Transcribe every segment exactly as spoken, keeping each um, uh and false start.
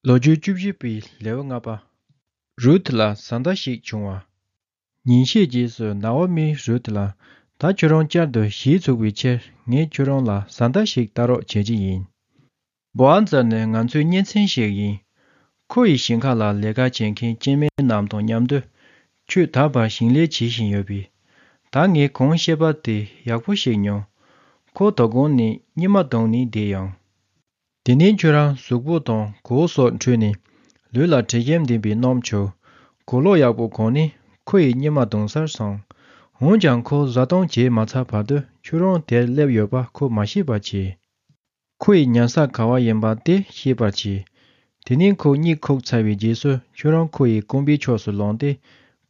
ལོ་རྒྱུས་བཅུ་བཞི་པའི་ལེའུ་ལྔ་པ། རུད་ལ་བཟའ་ཟླ་ཞིག་བྱུང་བ། ཉིན་ཤས་རྗེས་སུ་ནའོ་མིས་རུད་ལ། ད་ཁྱོད་རང་བསྐྱར་དུ་གཞིས་ཚུགས་པའི་ཕྱིར་ངས་ཁྱོད་རང་ལ་བཟའ་ཟླ་ཞིག་ལྟ་རོགས་བྱེད་ཀྱི་ཡིན། བོ་ཨ་ཛ་ནི་ང་ཚོའི་གཉེན་ཚན་ཞིག་ཡིན། ཁོ་ཡི་ཞིང་ཁ་ལ་ལས་ཀ་བྱེད་མཁན་སྐྱེས་དམན་རྣམས་དང་མཉམ་དུ་ཁྱོད་ད་བར་ཞིང་ལས་བྱེད་བཞིན་ཡོད་པས། ད་ངས་གང་བཤད་པ་དེ་ཡག་པོ་ཞིག་མྱོང་། ཁོ་དོ་དགོང་ནས་གཉིད་མ་གཏོང་ནས་བསྡད་ཡོང་། དེ་ནས་ཁྱོད་རང་གཟུགས་པོ་དང་གོས་སོགས་འཁྲུད་ནས་ལུས་ལ་དྲི་ཞིམ་ལྡན་པའི་སྣུམ་བྱུགས། གོས་ལོག་ཡག་པོ་གོན་ནས་ཁོ་ཡི་གཉིད་མ་གཏོང་སར་སོང་། འོན་ཀྱང་ཁོ་བཟའ་བཏུང་བྱས་མ་ཚར་བར་དུ་ཁྱོད་རང་དེར་སླེབས་ཡོད་པ་ཁོ་མ་ཤེས་པར་བྱས། ཁོ་ཡི་ཉལ་ས་ག་བ་ཡིན་པ་དེ་ཤེས་པར་བྱས། དེ་ནས་ཁོ་གཉིད་ཁུག་ཚར་བའི་རྗེས་སུ་ཁྱོད་རང་ཁོ་ཡི་རྐང་པའི་ཕྱོགས་སུ་ལངས་ཏེ་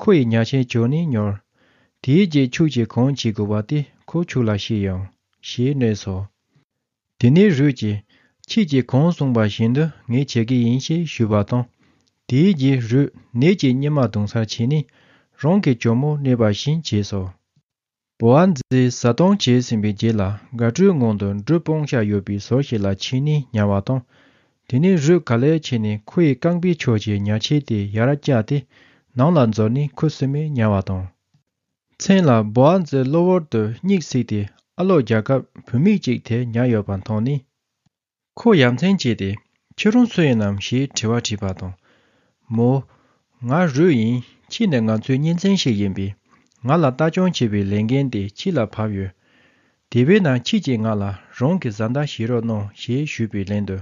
ཁོ་ཡི་ཉལ་ཆས་གྱོན་ནས་ཉོར། དེའི་རྗེས་ཁྱོད་ཀྱིས་གང་བྱེད་དགོས་པ་དེ་ཁོ་ཁྱོད་ལ་བཤད་ཡོང་། ཞེས་སྨྲས་སོ། དེ་ནས་རུད་ཀྱིས། ཁྱེད་ཀྱིས་གང་གསུངས་པ་བཞིན་དུ་ངས་བྱེད་ཀྱི་ཡིན་ཞེས་ཞུས་པ་དང་། དེའི་རྗེས་རུད་ནད་ཀྱིས་གཉིད་མ་གཏོང་སར་ཕྱིན་ནས་རང་གི་གྱོག་མོ་སྨྲས་པ་བཞིན་བྱས་སོ། བོ་ཨ་ཛས་བཟའ་བཏུང་བྱས་ཟིན་པའི་རྗེས་ལ་དགའ་སྤྲོའི་ངང་དུ་འབྲུ་སྤུངས་བཞག་ཡོད་པའི་ཟུར་ཞིག་ལ་ཕྱིན་ནས་ཉལ་བ་དང་། དེ་ནས་རུད་ག་ལེར་ཕྱིན་ནས་ཁོ་ཡི་རྐང་པའི་ཕྱོགས་ཀྱི་ཉལ་ཆས་དེ་ཡར་བཀྱགས་ཏེ་ནང་ལ་འཛུལ་ནས་ཁུ་སིམ་མེར་ཉལ་བ་དང་། མཚན་ལ་བོ་ཨ་ཛའི་གློ་བུར་དུ་གཉིད་སད་དེ་ཨ་ལོ་རྒྱལ་ཁབ་བུད་མེད་ཅིག་དེར་ཉལ་ཡོད་པ་མཐོང་ནས། ཁོ་ཡ་མཚན་སྐྱེས་ཏེ། ཁྱོད་རང་སུ་ཡིན་ནམ་ཞེས་དྲི་བ་དྲིས་པ་དང་། མོ། ང་རུད་ཡིན། ཁྱེད་ནི་ང་ཚོའི་གཉེན་ཚན་ཞིག་ཡིན་པས། ང་ལ་ལྟ་སྐྱོང་བྱེད་པའི་ལས་འགན་དེ་ཁྱེད་ལ་བབས་ཡོད། དེ་བས་ན་ཁྱེད་ཀྱིས་ང་ལ་རང་གི་བཟའ་ཟླ་བྱེད་རོགས་གནང་ཞེས་ཞུས་པའི་ལན་དུ།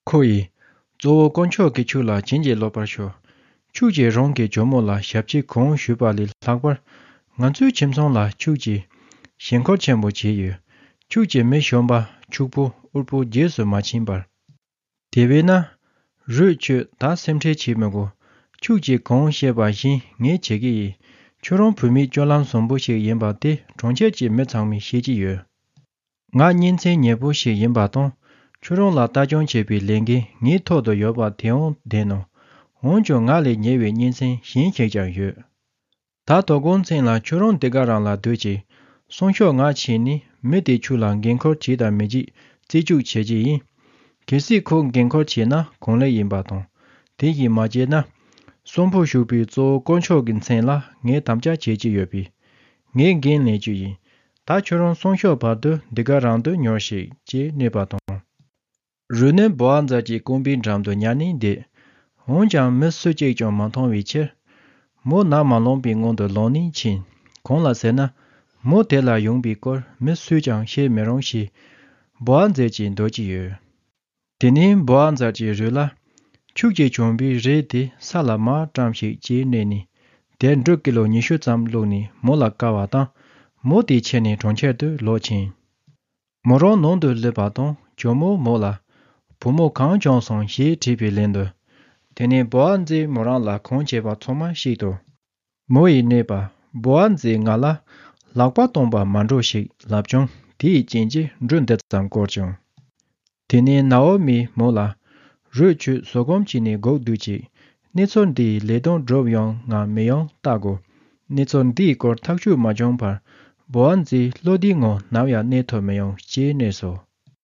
ཁོ་ཡིས། གཙོ་བོ་དཀོན་མཆོག་གིས་ཁྱོད་ལ་བྱིན་གྱིས་རློབ་པར་ཤོག་ཁྱོད་ཀྱིས་རང་གི་གྱོག་མོ་ལ་ཞབས་ཕྱི་གང་ཞུས་པ་ལས་ལྷག་པར། ང་ཚོའི་ཁྱིམ་ཚང་ལ་ཁྱོད་ཀྱིས་ཞེན་ཁོག་ཆེན་པོ་བྱས་ཡོད། ཁྱོད་ཀྱིས་མི་གཞོན་པ་ཕྱུག་པོ་དབུལ་པོ་རྗེས་སུ་མ་ཕྱིན་པར། དེ་བས་ན། རུད་ཁྱོད་ད་སེམས་ཁྲལ་བྱེད་མི་དགོས། ཁྱོད་ཀྱིས་གང་བཤད་པ་བཞིན་ངས་བྱེད་ཀྱི་ཡིན། ཁྱོད་རང་བུད་མེད་སྤྱོད་ལམ་བཟང་པོ་ཞིག་ཡིན་པ་དེ་གྲོང་ཁྱེར་གྱི་མི་ཚང་མས་ཤེས་ཀྱི་ཡོད། ང་གཉེན་ཚན་ཉེ་པོ་ཞིག་ཡིན་པ་དང་། ཁྱོད་རང་ལ་ལྟ་སྐྱོང་བྱེད་པའི་ལས་འགན་ངའི་ཐོག་ཏུ་ཡོད་པ་དེའང་བདེན་ནོ། འོན་ཀྱང་ང་ལས་ཉེ་བའི་གཉེན་ཚན་གཞན་ཞིག་ཀྱང་ཡོད། ད་དོ་དགོང་མཚན་ལ་ཁྱོད་རང་འདི་ག་རང་ལ་སྡོད་ཅིག་སང་ཞོགས་ང་ཕྱིན་ནས་མི་དེ་ཁྱོད་ལ་འགན་ཁུར་བྱེད་དང་མི་བྱེད་རྩིས་འཇོག་བྱེད་ཀྱི་ཡིན། གལ་སྲིད་ཁོས་འགན་ཁུར་བྱས་ན་གང་ལེགས་ཡིན་པ་དང་། དེ་བཞིན་མ་བྱས་ན། གསོན་པོ་བཞུགས་པའི་གཙོ་བོ་དཀོན་མཆོག་གི་མཚན་ལ་ངས་དམ་བཅའ་བྱེད་ཀྱི་ཡོད་པས། ངས་འགན་ལེན་རྒྱུ་ཡིན། ད་ཁྱོད་རང་སང་ཞོགས་བར་དུ་འདི་ག་རང་དུ་ཉོར་ཞིག་ཅེས་སྨྲས་པ་དང་། རུད་ནི་བོ་ཨ་ཛ་གྱི་རྐང་པའི་འགྲམ་དུ་ཉལ་ནས་བསྡད། འོན་ཀྱང་མི་སུ་གཅིག་ཀྱང་མ་མཐོང་བའི་ཕྱིར། མོ་ནམ་མ་ལངས་པའི་སྔོན་དུ་ལངས་ནས་ཕྱིན། གང་ལ་ཟེར་ན། མོ་དེ་ལ་ཡོང་པའི་སྐོར་མི་སུས་ཀྱང་ཤེས་མི་རུང་ཞེས། བོ་ཨ་ཛས་ཀྱིས་འདོད་ཀྱི་ཡོད། དེ་ནས་བོ་ཨ་ཛ་གྱིས་རུད་ལ། ཁྱོད་ཀྱིས་གྱོན་པའི་རས་དེ་ས་ལ་མར་བཀྲམ་ཞིག་ཅེས་སྨྲས་ནས། དེར་འབྲུ་ཀི་ལོ་ཉི་ཤུ་ཙམ་བླུགས་ནས་མོ་ལ་བཀལ་བ་དང་། མོ་དེ་ཁྱེར་ནས་གྲོང་ཁྱེར་དུ་ལོག་ཕྱིན། མོ་རང་ནང་དུ་སླེབས་པ་དང་གྱོག་མོས་མོ་ལ། བུ་མོ་གང་བྱུང་སོང་ཞེས་དྲིས་པའི་ལན་དུ། དེ་ནས་བོ་ཨ་ཛས་མོ་རང་ལ་གང་བྱས་པ་ཚང་མ་བཤད་དོ། མོ་ཡིས་སྨྲས་པ། བོ་ཨ་ཛས་ང་ལ། ལག་པ་སྟོང་པ་མ་འགྲོ་ཞེས་ལབ་བྱུང་དེའི་རྐྱེན་གྱིས་འབྲུ་འདི་ཙམ་བསྐོར་བྱུང་། དེ་ནས་ནའོ་མིས་མོ་ལ། རུད་ཁྱོད་བཟོད་སྒོམ་བྱས་ནས་སྒུག་སྡོད་ཅིག་གནས་ཚུལ་འདིའི་ལས་དོན་འགྲུབ་ཡོང་ངམ་མི་ཡོང་བལྟ་དགོས། གནས་ཚུལ་འདིའི་སྐོར་ཐག་གཅོད་མ་བྱུང་བར། བོ་ཨ་ཛས་ལྷོ་ལྡིང་ངོ་ནམ་ཡང་གནས་ཐུབ་མི་ཡོང་ཅེས་སྨྲས་སོ།